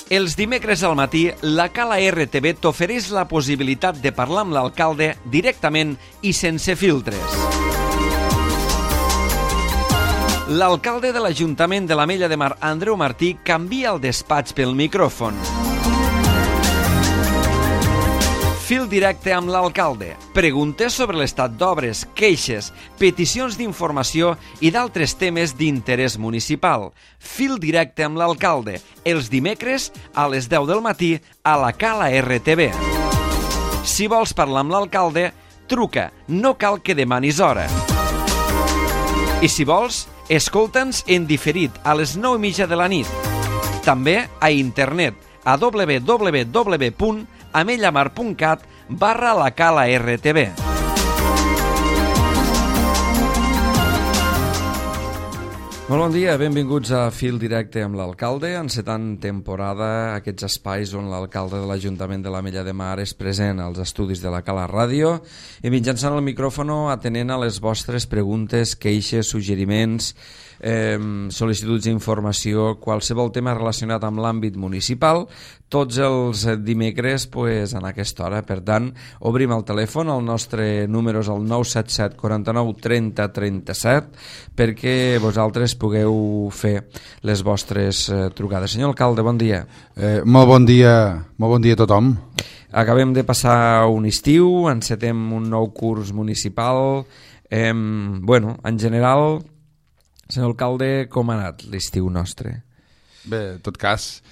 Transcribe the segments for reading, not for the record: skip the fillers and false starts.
Els dimecres al matí, la Cala RTV t'ofereix la possibilitat de parlar amb l'alcalde directament i sense filtres. L'alcalde de l'Ajuntament de l'Ametlla de Mar, Andreu Martí, canvia el despatx pel micròfon. Fil directe amb l'alcalde. Preguntes sobre l'estat d'obres, queixes, peticions d'informació i d'altres temes d'interès municipal. Fil directe amb l'alcalde. Els dimecres a les 10 del matí a la Cala RTV. Si vols parlar amb l'alcalde, truca. No cal que demanis hora. I si vols, escolta'ns en diferit a les 9:30 de la nit. També a internet a www.amellamar.cat/la Cala RTV. Molt bon dia, benvinguts a Fil Directe amb l'alcalde, encetant temporada, aquests espais on l'alcalde de l'Ajuntament de l'Ametlla de Mar és present als estudis de la Cala Ràdio i mitjançant el micròfono atenent a les vostres preguntes, queixes, suggeriments, sol·licituds d'informació, qualsevol tema relacionat amb l'àmbit municipal, tots els dimecres en aquesta hora. Per tant, obrim el telèfon, el nostre número és el 977 49 30 37 perquè vosaltres pugueu fer les vostres trucades. Senyor alcalde, bon dia. Molt bon dia a tothom. Acabem de passar un estiu, encetem un nou curs municipal. En general, senyor alcalde, com ha anat l'estiu nostre? Bé, en tot cas,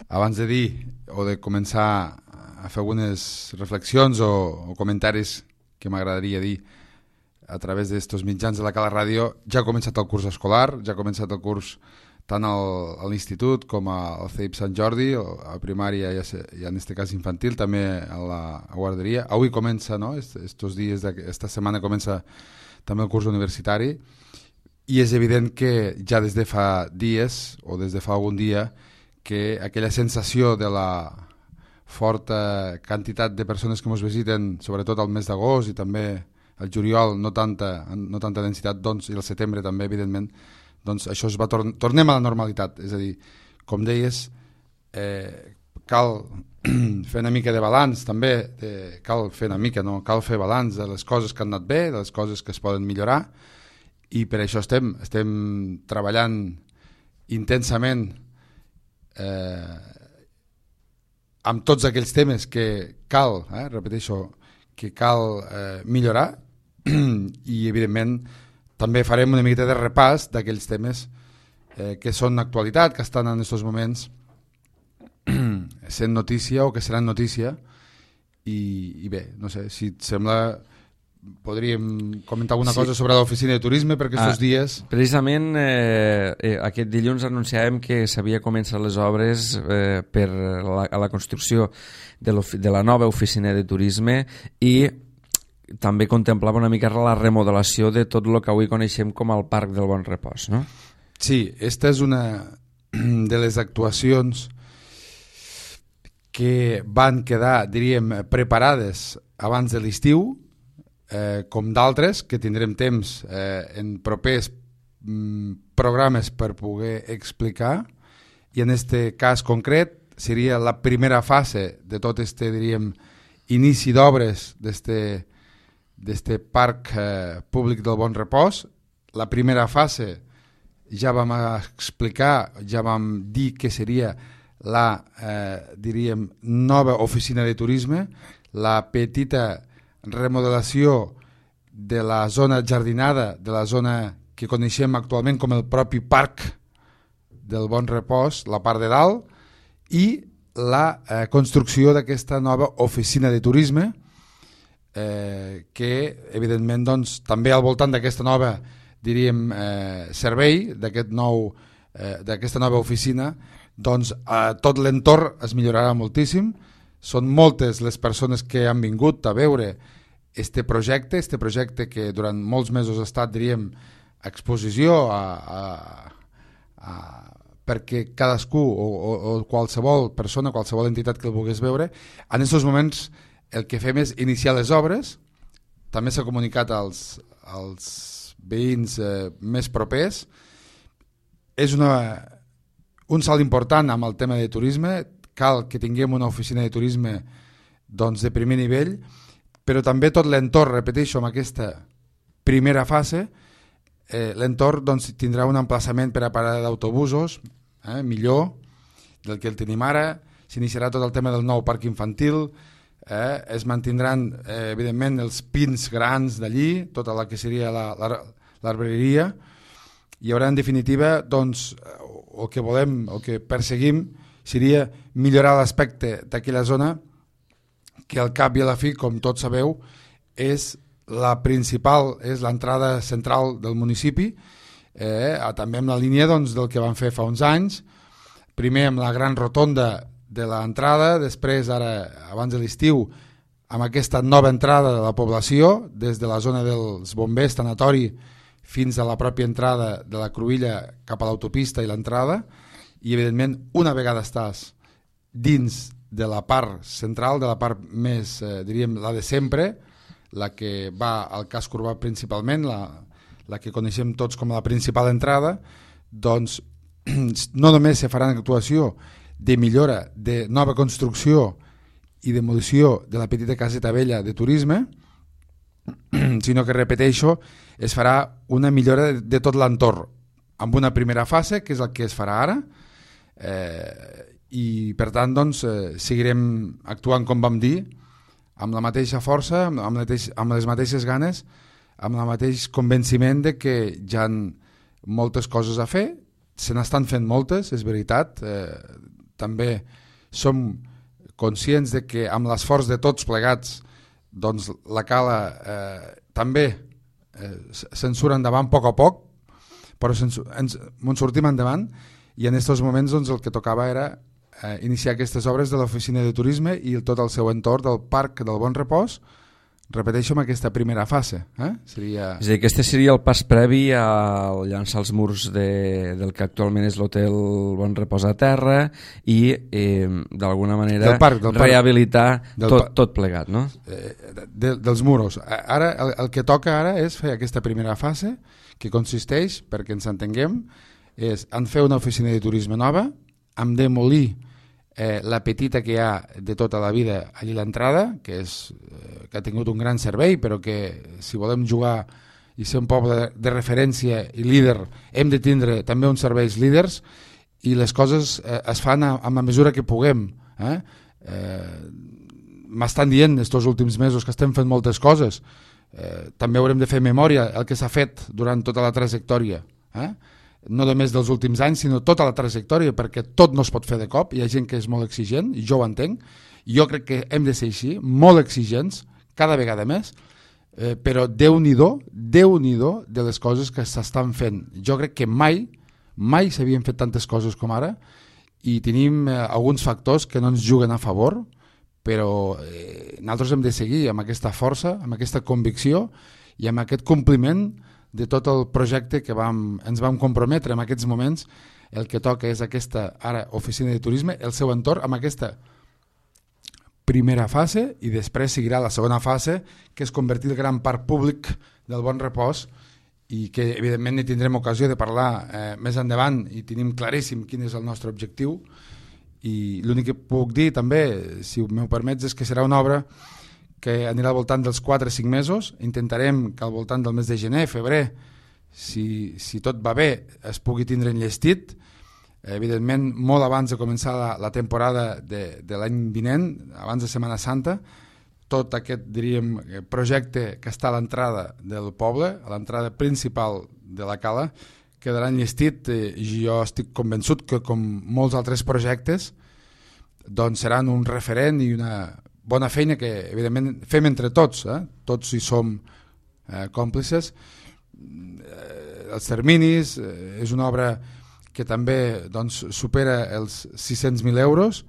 abans de dir o de començar a fer algunes reflexions o comentaris que m'agradaria dir a través d'estos mitjans de la Cala Ràdio, ja ha començat el curs escolar, ja ha començat el curs tant a l'institut com al CEIP Sant Jordi, a primària i en aquest cas infantil, també a la guarderia. Avui comença, no? Estos dies, esta setmana comença també el curs universitari i és evident que ja des de fa dies o des de fa algun dia que aquella sensació de la forta quantitat de persones que ens visiten, sobretot al mes d'agost i també el juliol, no tanta densitat, doncs, i el setembre també, evidentment, doncs això es va tornem a la normalitat. És a dir, com deies, cal fer una mica de balanç, també, cal fer balanç de les coses que han anat bé, de les coses que es poden millorar, i per això estem treballant intensament amb tots aquells temes que cal, repeteixo, que cal millorar i evidentment també farem una miqueta de repàs d'aquells temes que són actualitat, que estan en aquests moments sent notícia o que seran notícia i bé, no sé, si et sembla podríem comentar alguna cosa sobre l'oficina de turisme per aquests dies. Precisament aquest dilluns anunciàvem que s'havia començat les obres per a la construcció de la nova oficina de turisme i també contemplava una mica la remodelació de tot el que avui coneixem com el Parc del Bon Repòs, no? Sí, esta és una de les actuacions que van quedar, diríem, preparades abans de l'estiu, com d'altres que tindrem temps en propers programes per poder explicar, i en este cas concret seria la primera fase de tot este, diríem, inici d'obres d'este parc públic del Bon Repòs. La primera fase ja vam explicar, ja vam dir que seria la, diríem, nova oficina de turisme, la petita remodelació de la zona jardinada, de la zona que coneixem actualment com el propi parc del Bon Repòs, la part de dalt, i la construcció d'aquesta nova oficina de turisme que evidentment doncs, també al voltant d'aquesta nova, diríem, servei, d'aquesta nova oficina, doncs tot l'entorn es millorarà moltíssim. Són moltes les persones que han vingut a veure este projecte que durant molts mesos ha estat, diríem, a exposició perquè cadascú o qualsevol persona, qualsevol entitat que el volgués veure. En aquests moments el que fem és iniciar les obres, també s'ha comunicat als veïns més propers. És un salt important amb el tema de turisme. cal que tinguem una oficina de turisme doncs, de primer nivell, però també tot l'entorn, repeteixo, amb aquesta primera fase, l'entorn doncs, tindrà un emplaçament per a parada d'autobusos, millor del que el tenim ara, s'iniciarà tot el tema del nou parc infantil, es mantindran evidentment els pins grans d'allí, tota la que seria l'arbreria. Hi haurà en definitiva doncs, el que volem, el que perseguim seria millorar l'aspecte d'aquella zona que al cap i a la fi, com tots sabeu, és la principal, és l'entrada central del municipi, també amb la línia doncs, del que van fer fa uns anys, primer amb la gran rotonda de l'entrada, després ara abans de l'estiu amb aquesta nova entrada de la població des de la zona dels bombers tanatori fins a la pròpia entrada de la Cruïlla cap a l'autopista i l'entrada, i evidentment una vegada estàs dins de la part central, de la part més, diríem, la de sempre, la que va al casc urbà principalment, la que coneixem tots com la principal entrada, doncs no només se farà una actuació de millora, de nova construcció i demolició de la petita caseta vella de turisme, sinó que, repeteixo, es farà una millora de tot l'entorn, amb una primera fase, que és el que es farà ara, i per tant doncs, seguirem actuant com vam dir, amb la mateixa força, amb les mateixes ganes, amb el mateix convenciment de que hi ha moltes coses a fer, se n'estan fent moltes, és veritat, també som conscients de que amb l'esforç de tots plegats doncs la Cala també se'n surt endavant a poc, però ens sortim endavant, i en aquests moments doncs, el que tocava era iniciar aquestes obres de l'oficina de turisme i tot el seu entorn del Parc del Bon Repòs, repeteixo, amb aquesta primera fase. Seria... És a dir, aquest seria el pas previ a llançar els murs del que actualment és l'hotel Bon Repòs a terra i d'alguna manera del parc, rehabilitar tot plegat, no? Dels muros. Ara, el que toca ara és fer aquesta primera fase, que consisteix, perquè ens entenguem, és en fer una oficina de turisme nova, en demolir la petita que hi ha de tota la vida allí a l'entrada, que ha tingut un gran servei, però que si volem jugar i ser un poble de referència i líder, hem de tindre també uns serveis líders, i les coses es fan amb la mesura que puguem. M'estan dient estos últims mesos que estem fent moltes coses, també haurem de fer memòria el que s'ha fet durant tota la trajectòria, no només dels últims anys, sinó tota la trajectòria, perquè tot no es pot fer de cop, hi ha gent que és molt exigent, i jo ho entenc, jo crec que hem de ser així, molt exigents, cada vegada més, però Déu-n'hi-do de les coses que s'estan fent. Jo crec que mai s'havien fet tantes coses com ara, i tenim alguns factors que no ens juguen a favor, però nosaltres hem de seguir amb aquesta força, amb aquesta convicció i amb aquest compliment de tot el projecte que ens vam comprometre en aquests moments. El que toca és aquesta ara oficina de turisme, el seu entorn, amb aquesta primera fase, i després seguirà la segona fase, que és convertir el gran parc públic del Bon Repòs, i que evidentment hi tindrem ocasió de parlar més endavant, i tenim claríssim quin és el nostre objectiu. I l'únic que puc dir també, si m'ho permets, és que serà una obra que anirà al voltant dels 4 o 5 mesos. Intentarem que al voltant del mes de gener, febrer, si tot va bé, es pugui tindre enllestit, evidentment molt abans de començar la temporada de l'any vinent, abans de Setmana Santa. Tot aquest, diríem, projecte que està a l'entrada del poble, a l'entrada principal de la Cala, quedarà enllestit, i jo estic convençut que, com molts altres projectes, doncs seran un referent i una bona feina que, evidentment, fem entre tots, tots hi som còmplices. Els terminis, és una obra que també doncs, supera els 600.000 euros,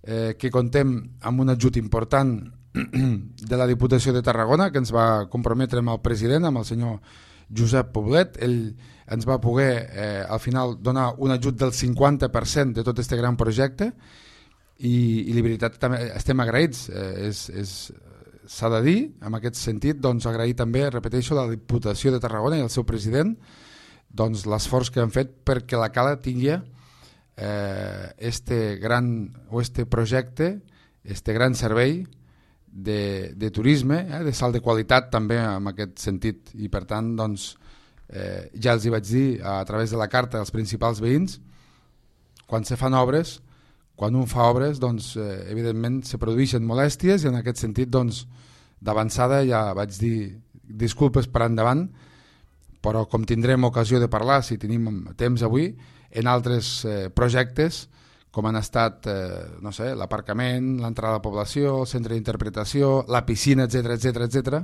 que contem amb un ajut important de la Diputació de Tarragona, que ens va comprometre amb el president, amb el senyor Josep Poblet. Ell ens va poder al final donar un ajut del 50% de tot aquest gran projecte, i la veritat també estem agraïts, s'ha de dir, en aquest sentit, doncs agrair també, repeteixo, la Diputació de Tarragona i el seu president, doncs l'esforç que han fet perquè la Cala tingui este projecte, este gran servei de turisme, de salt de qualitat també en aquest sentit, i per tant doncs, ja els hi vaig dir a través de la carta als principals veïns, quan se fan obres, quan un fa obres, doncs, evidentment se produeixen molèsties, i en aquest sentit doncs, d'avançada ja vaig dir disculpes per endavant, però com tindrem ocasió de parlar, si tenim temps avui, en altres projectes, com han estat no sé, l'aparcament, l'entrada a la població, el centre d'interpretació, la piscina, etc,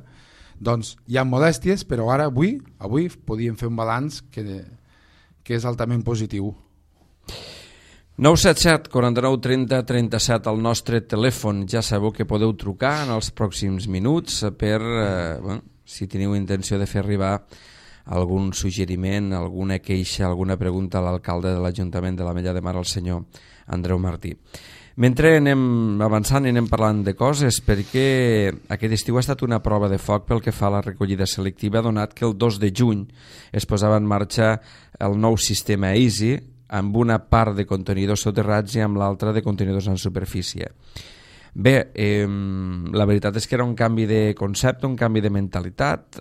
doncs hi ha molèsties, però ara, avui podíem fer un balanç que és altament positiu. 977 49 30 37 al nostre telèfon. Ja sabeu que podeu trucar en els pròxims minuts per, si teniu intenció de fer arribar algun suggeriment, alguna queixa, alguna pregunta a l'alcalde de l'Ajuntament de l'Ametlla de Mar, el senyor Andreu Martí. Mentre anem avançant i anem parlant de coses, perquè aquest estiu ha estat una prova de foc pel que fa a la recollida selectiva, donat que el 2 de juny es posava en marxa el nou sistema EASY, amb una part de contenidors soterrats i amb l'altra de contenidors en superfície. Bé, la veritat és que era un canvi de concepte, un canvi de mentalitat,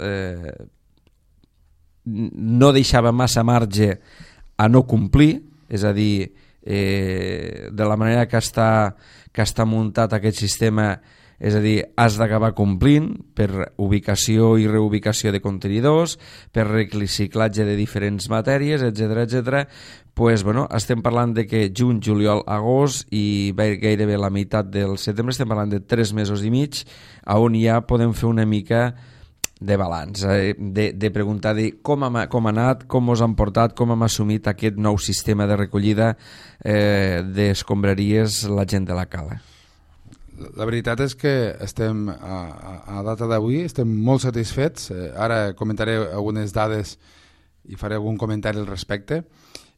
no deixava massa marge a no complir, és a dir, de la manera que està muntat aquest sistema, és a dir, has d'acabar complint per ubicació i reubicació de contenidors, per reciclatge de diferents matèries, etc. Pues, bueno, estem parlant de que juny, juliol, agost i gairebé la meitat del setembre, estem parlant de 3 mesos i mig, on ja podem fer una mica de balanç, de preguntar com ha anat, com us han portat, com hem assumit aquest nou sistema de recollida d'escombraries la gent de la cala. La veritat és que estem, a data d'avui, estem molt satisfets. Ara comentaré algunes dades i faré algun comentari al respecte.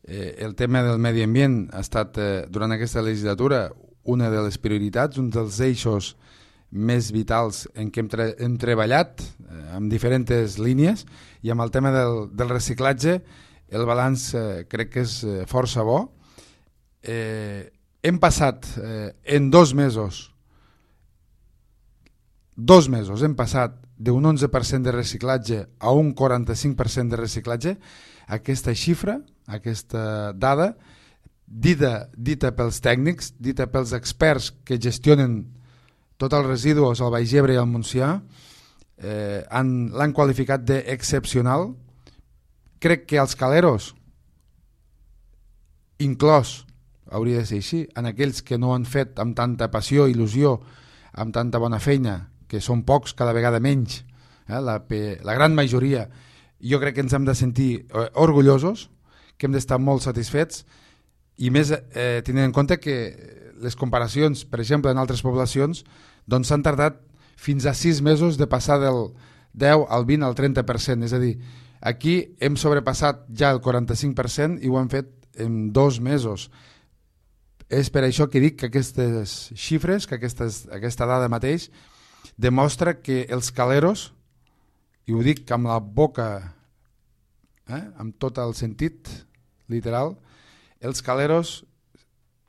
El tema del medi ambient ha estat, durant aquesta legislatura, una de les prioritats, un dels eixos més vitals en què hem treballat amb diferents línies, i amb el tema del reciclatge el balanç crec que és força bo. Hem passat en 2 mesos hem passat d'un 11% de reciclatge a un 45% de reciclatge. Aquesta xifra, aquesta dada, dita pels tècnics, dita pels experts que gestionen tots els residus al Baix Ebre i al Montsià, l'han qualificat d'excepcional. Crec que els caleros, inclòs, hauria de ser així, en aquells que no han fet amb tanta passió, il·lusió, amb tanta bona feina, que són pocs, cada vegada menys, la gran majoria, jo crec que ens hem de sentir orgullosos, que hem d'estar molt satisfets, i més tenint en compte que les comparacions, per exemple, en altres poblacions, doncs s'han tardat fins a 6 mesos de passar del 10 al 20 al 30%, és a dir, aquí hem sobrepassat ja el 45% i ho hem fet en 2 mesos. És per això que dic que aquestes xifres, que aquesta dada mateix, demostra que els caleros, i ho dic amb la boca, amb tot el sentit literal, els caleros,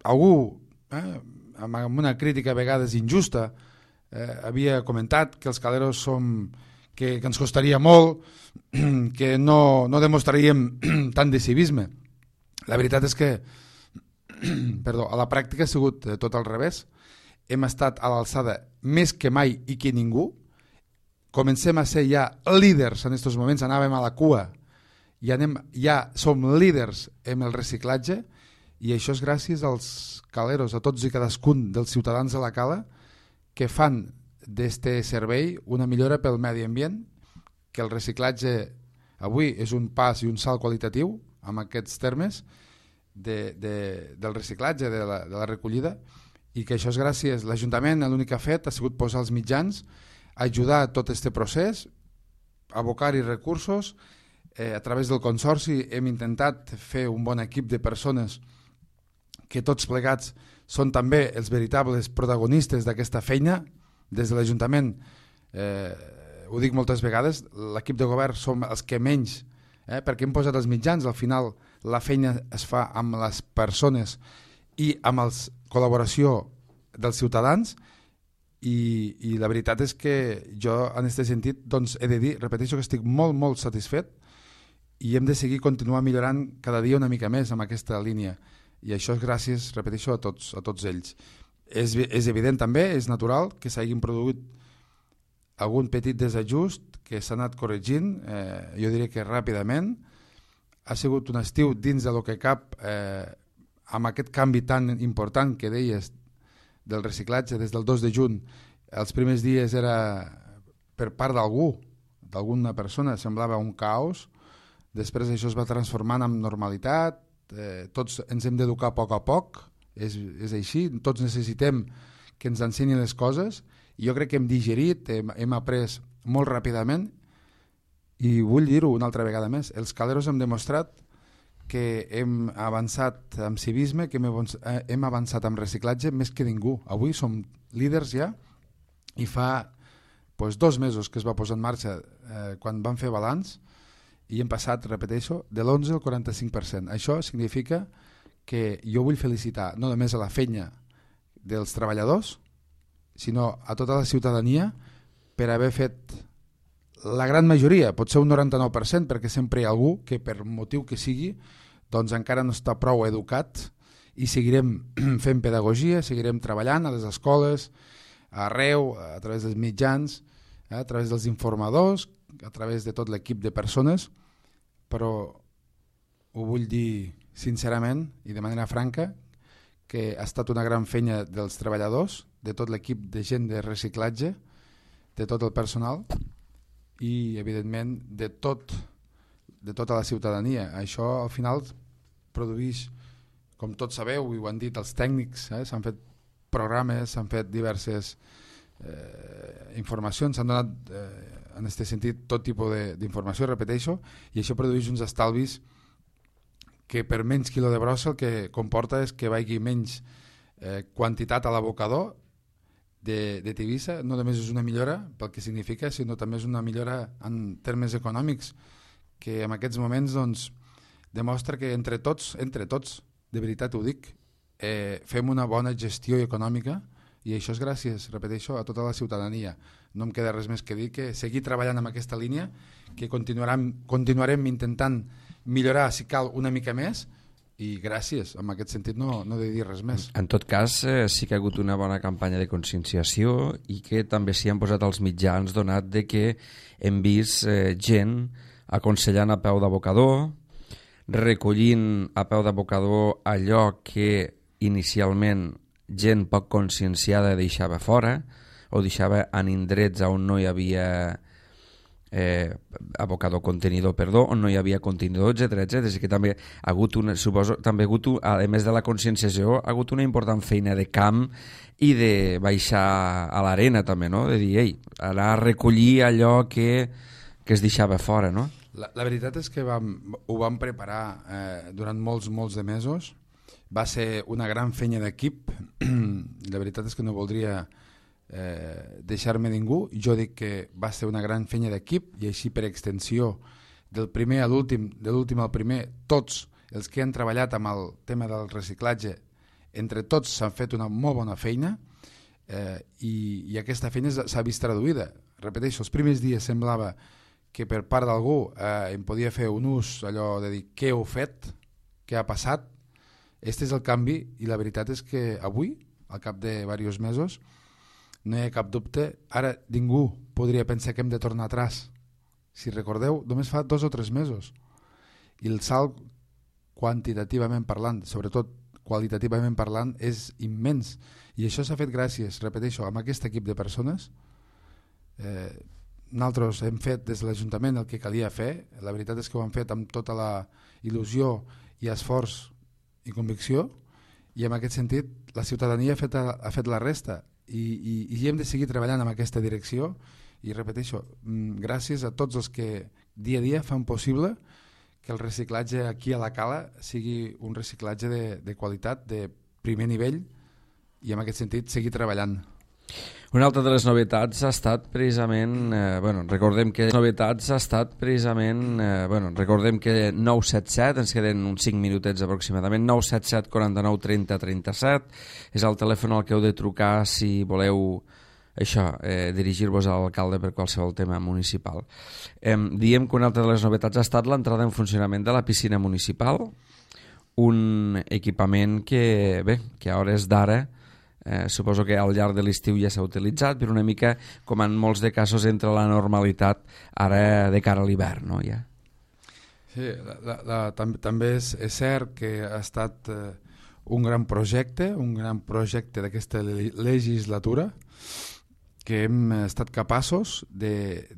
algú, amb una crítica a vegades injusta, havia comentat que els caleros que ens costaria molt, que no demostraríem tant de civisme. La veritat és que a la pràctica ha sigut tot al revés. Hem estat a l'alçada més que mai i que ningú. Comencem a ser ja líders en aquests moments, anàvem a la cua i ja som líders en el reciclatge, i això és gràcies als caleros, a tots i cadascun dels ciutadans de la cala que fan d'este servei una millora pel medi ambient, que el reciclatge avui és un pas i un salt qualitatiu amb aquests termes del reciclatge, de la recollida, i que això és gràcies a l'Ajuntament. L'únic que ha fet ha sigut posar els mitjans, ajudar a tot aquest procés, abocar-hi recursos. A través del Consorci hem intentat fer un bon equip de persones que tots plegats són també els veritables protagonistes d'aquesta feina. Des de l'Ajuntament, ho dic moltes vegades, l'equip de govern som els que menys, perquè hem posat els mitjans, al final la feina es fa amb les persones i amb la col·laboració dels ciutadans, i la veritat és que jo en aquest sentit doncs, he de dir, repeteixo, que estic molt, molt satisfet, i hem de seguir continuar millorant cada dia una mica més amb aquesta línia, i això és gràcies, repeteixo, a tots ells. És evident també, és natural que s'hagin produït algun petit desajust que s'ha anat corregint, jo diria que ràpidament. Ha sigut un estiu dins de lo que cap, amb aquest canvi tan important que deies del reciclatge des del 2 de juny. Els primers dies era per part d'alguna persona, semblava un caos. Després això es va transformant en normalitat, tots ens hem d'educar a poc, és així, tots necessitem que ens ensenyin les coses, i jo crec que hem digerit, hem après molt ràpidament, i vull dir-ho una altra vegada més, els Caleros hem demostrat que hem avançat amb civisme, que hem avançat amb reciclatge més que ningú. Avui som líders ja, i fa 2 mesos que es va posar en marxa quan vam fer balanç, i hem passat, repeteixo, de l'11 al 45%. Això significa que jo vull felicitar no només a la feina dels treballadors, sinó a tota la ciutadania per haver fet la gran majoria, pot ser un 99%, perquè sempre hi ha algú que per motiu que sigui doncs encara no està prou educat, i seguirem fent pedagogia, seguirem treballant a les escoles, arreu, a través dels mitjans, a través dels informadors, a través de tot l'equip de persones, però ho vull dir sincerament i de manera franca, que ha estat una gran feina dels treballadors, de tot l'equip de gent de reciclatge, de tot el personal i evidentment de tota la ciutadania. Això al final produeix, com tots sabeu i ho han dit els tècnics, s'han fet programes, s'han fet diverses informacions, s'han donat en aquest sentit tot tipus d'informació, repeteixo, i això produeix uns estalvis que per menys quilo de brossa el que comporta és que vagi menys quantitat a l'abocador de Tivissa. No només és una millora pel que significa, sinó també és una millora en termes econòmics, que en aquests moments doncs, demostra que entre tots, de veritat ho dic, fem una bona gestió econòmica, i això és gràcies, repeteixo, a tota la ciutadania. No em queda res més que dir que seguir treballant en aquesta línia, que continuarem intentant millorar, si cal, una mica més, i gràcies, en aquest sentit no he de dir res més. En tot cas, sí que ha hagut una bona campanya de conscienciació, i que també s'hi han posat els mitjans, donat de que hem vist gent aconsellant a peu d'abocador, recollint a peu d'abocador allò que inicialment gent poc conscienciada deixava fora, o deixava en indrets on no hi havia abocador contenidor, on no hi havia contenidor, etc. És que també ha hagut a més de la conscienciació, ha hagut una important feina de camp i de baixar a l'arena també, no? De dir, anar a recollir allò que es deixava fora, no? La veritat és que ho vam preparar durant molts de mesos. Va ser una gran feina d'equip. La veritat és que no voldria deixar-me ningú. Jo dic que va ser una gran feina d'equip, i així per extensió, del primer a l'últim, de l'últim al primer, tots els que han treballat amb el tema del reciclatge, entre tots s'han fet una molt bona feina, i aquesta feina s'ha vist traduïda. Repeteixo, els primers dies semblava que per part d'algú em podia fer un ús allò de dir què heu fet, què ha passat. Este és el canvi, i la veritat és que avui, al cap de diversos mesos, no hi ha cap dubte. Ara ningú podria pensar que hem de tornar atrás. Si recordeu, només fa 2 o 3 mesos. I el salt, quantitativament parlant, sobretot qualitativament parlant, és immens. I això s'ha fet gràcies, repeteixo, amb aquest equip de persones. Nosaltres hem fet des de l'Ajuntament el que calia fer. La veritat és que ho hem fet amb tota la il·lusió i esforç i convicció, i en aquest sentit la ciutadania ha fet la resta, i hem de seguir treballant en aquesta direcció. I repeteixo, gràcies a tots els que dia a dia fan possible que el reciclatge aquí a la Cala sigui un reciclatge de qualitat, de primer nivell, i en aquest sentit seguir treballant. Una altra de les novetats ha estat precisament, recordem que 977, ens queden uns 5 minutets aproximadament, 977 49 30 37, és el telèfon al que heu de trucar si voleu dirigir-vos a l'alcalde per qualsevol tema municipal. Diem que una altra de les novetats ha estat l'entrada en funcionament de la piscina municipal, un equipament que a hores d'ara suposo que al llarg de l'estiu ja s'ha utilitzat, però una mica, com en molts de casos, entra la normalitat ara de cara a l'hivern, no? Ja. Sí, també és cert que ha estat un gran projecte d'aquesta legislatura, que hem estat capaços de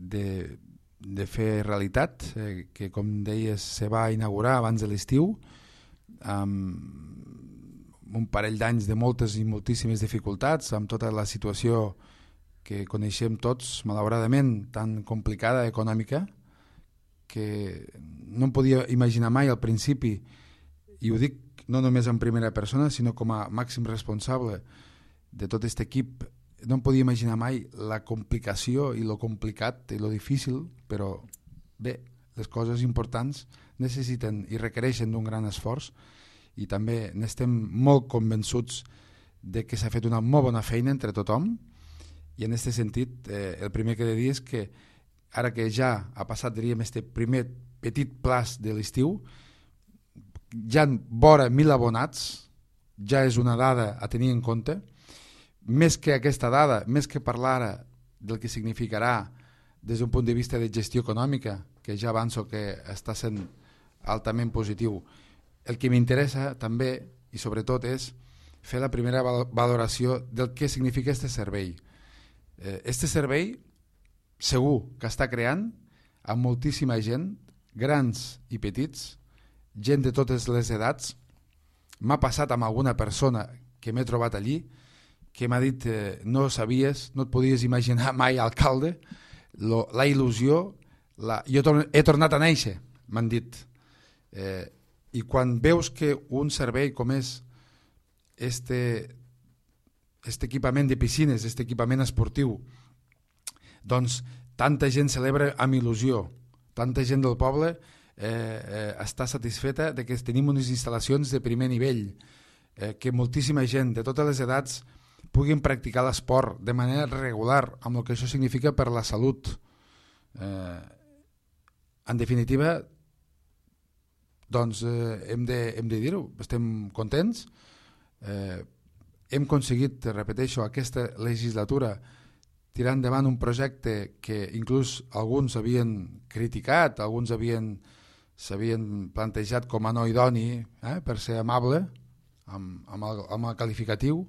fer realitat, que com deies se va inaugurar abans de l'estiu, amb un parell d'anys de moltes i moltíssimes dificultats, amb tota la situació que coneixem tots, malauradament, tan complicada econòmica, que no em podia imaginar mai al principi, i ho dic no només en primera persona, sinó com a màxim responsable de tot aquest equip, no em podia imaginar mai la complicació i lo complicat i lo difícil, però bé, les coses importants necessiten i requereixen d'un gran esforç, i també n'estem molt convençuts de que s'ha fet una molt bona feina entre tothom, i en aquest sentit el primer que he de dir és que ara que ja ha passat, diríem, este primer petit plaç de l'estiu, ja en vora 1.000 abonats, ja és una dada a tenir en compte. Més que aquesta dada, més que parlar ara del que significarà des d'un punt de vista de gestió econòmica, que ja avanço que està sent altament positiu, el que m'interessa també i sobretot és fer la primera valoració del que significa este servei. Este servei segur que està creant amb moltíssima gent, grans i petits, gent de totes les edats. M'ha passat amb alguna persona que m'he trobat allí que m'ha dit no sabies, no et podies imaginar mai alcalde, la il·lusió, jo he tornat a néixer, m'han dit. I quan veus que un servei com és este equipament de piscines, este equipament esportiu, doncs tanta gent celebra amb il·lusió, tanta gent del poble està satisfeta de que tenim unes instal·lacions de primer nivell, que moltíssima gent de totes les edats puguin practicar l'esport de manera regular, amb el que això significa per la salut. En definitiva, doncs hem de dir-ho, estem contents, hem aconseguit, repeteixo, aquesta legislatura tirar endavant un projecte que inclús alguns havien criticat, alguns s'havien plantejat com a no idoni, per ser amable amb el qualificatiu,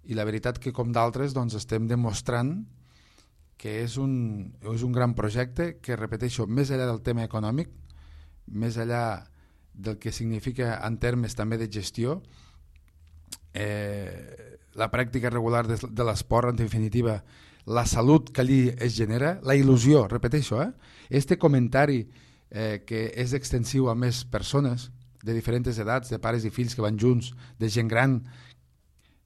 i la veritat que com d'altres doncs, estem demostrant que és un gran projecte que, repeteixo, més enllà del tema econòmic, més enllà del que significa en termes també de gestió, la pràctica regular de l'esport, en definitiva, la salut que allí es genera, la il·lusió, repeteixo, este comentari que és extensiu a més persones de diferents edats, de pares i fills que van junts, de gent gran,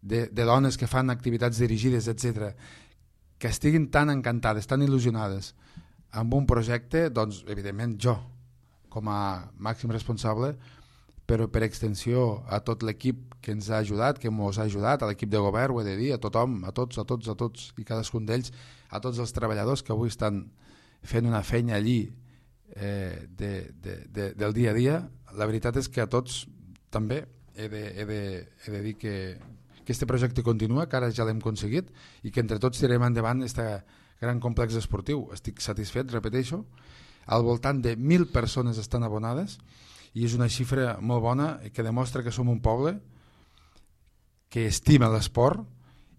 de dones que fan activitats dirigides, etc., que estiguin tan encantades, tan il·lusionades amb un projecte, doncs, evidentment, jo, com a màxim responsable, però per extensió a tot l'equip que ens ha ajudat, que ens ha ajudat, a l'equip de govern, ho he de dir, a tothom, a tots i cadascun d'ells, a tots els treballadors que avui estan fent una feina allí del dia a dia. La veritat és que a tots també he de dir que aquest projecte continua, que ara ja l'hem aconseguit i que entre tots tirem endavant aquest gran complex esportiu. Estic satisfet, repeteixo, al voltant de 1.000 persones estan abonades i és una xifra molt bona que demostra que som un poble que estima l'esport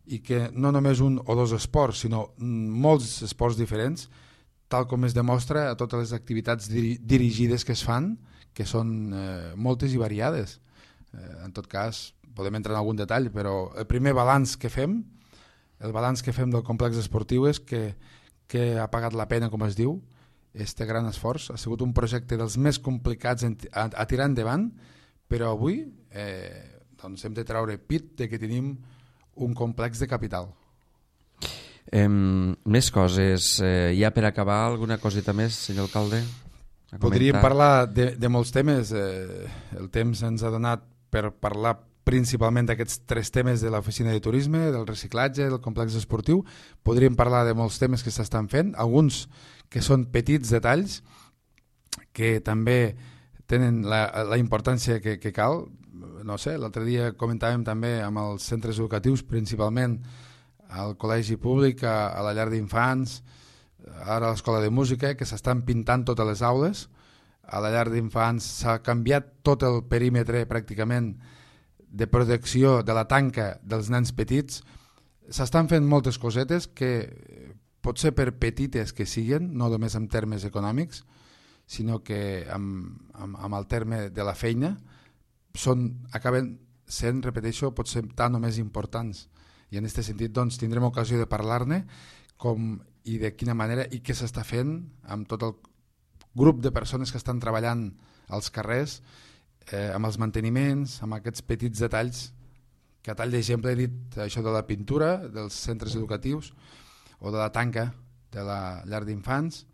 i que no només un o dos esports, sinó molts esports diferents, tal com es demostra a totes les activitats dirigides que es fan, que són moltes i variades. En tot cas, podem entrar en algun detall, però el primer balanç que fem, el balanç que fem del complex esportiu és que ha pagat la pena, com es diu, este gran esforç. Ha sigut un projecte dels més complicats a tirar endavant, però avui doncs hem de treure pit de que tenim un complex de capital. Més coses. Ja per acabar, alguna coseta més, senyor alcalde? Podríem parlar de molts temes. El temps ens ha donat per parlar principalment d'aquests 3 temes de l'oficina de turisme, del reciclatge, del complex esportiu. Podríem parlar de molts temes que s'estan fent, alguns que són petits detalls, que també tenen la importància que cal. No sé, l'altre dia comentàvem també amb els centres educatius, principalment al col·legi públic, a la llar d'infants, ara a l'escola de música, que s'estan pintant totes les aules. A la llar d'infants s'ha canviat tot el perímetre pràcticament de protecció de la tanca dels nens petits. S'estan fent moltes cosetes que potser per petites que siguin, no només en termes econòmics, sinó que amb el terme de la feina acaben sent, repeteixo, potser tant o més importants. I en aquest sentit doncs, tindrem ocasió de parlar-ne com i de quina manera i què s'està fent amb tot el grup de persones que estan treballant als carrers, amb els manteniments, amb aquests petits detalls, que a tall d'exemple he dit això de la pintura dels centres educatius o de la tanca de la llar d'infants,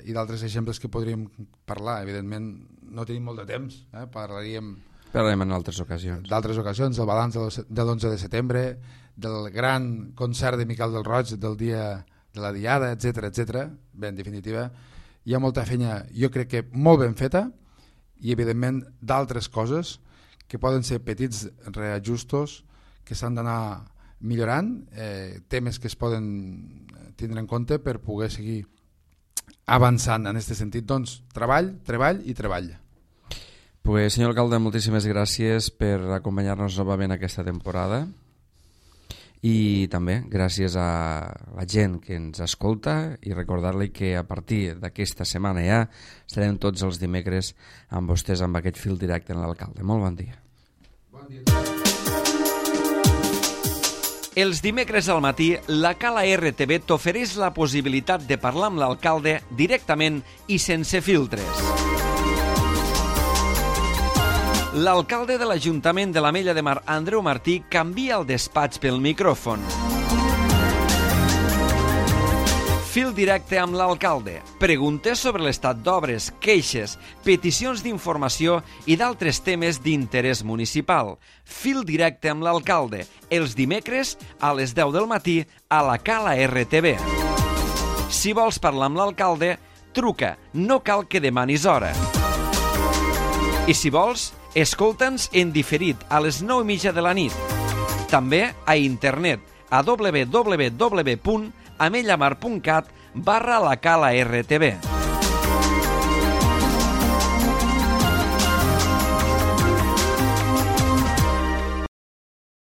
i d'altres exemples que podríem parlar. Evidentment no tenim molt de temps, parlarem en altres ocasions. D'altres ocasions, el balanç de l'11 de setembre, del gran concert de Miquel del Roig, del dia de la Diada, etc. Bé, en definitiva, hi ha molta feina, jo crec que molt ben feta, i evidentment d'altres coses que poden ser petits reajustos que s'han d'anar millorant, temes que es poden tindre en compte per poder seguir avançant en aquest sentit. Doncs treball i treball. Pues, senyor alcalde, moltíssimes gràcies per acompanyar-nos novament aquesta temporada, i també gràcies a la gent que ens escolta, i recordar-li que a partir d'aquesta setmana ja estarem tots els dimecres amb vostès amb aquest fil directe en l'alcalde. Molt bon dia. Bon dia. Els dimecres al matí, la Cala RTV t'ofereix la possibilitat de parlar amb l'alcalde directament i sense filtres. L'alcalde de l'Ajuntament de l'Ametlla de Mar, Andreu Martí, canvia el despatx pel micròfon. Fil directe amb l'alcalde. Preguntes sobre l'estat d'obres, queixes, peticions d'informació i d'altres temes d'interès municipal. Fil directe amb l'alcalde. Els dimecres a les 10 del matí a la Cala RTV. Si vols parlar amb l'alcalde, truca. No cal que demanis hora. I si vols, escolta'ns en diferit a les 9:30 de la nit. També a internet a www.amellamar.cat/la Cala RTV.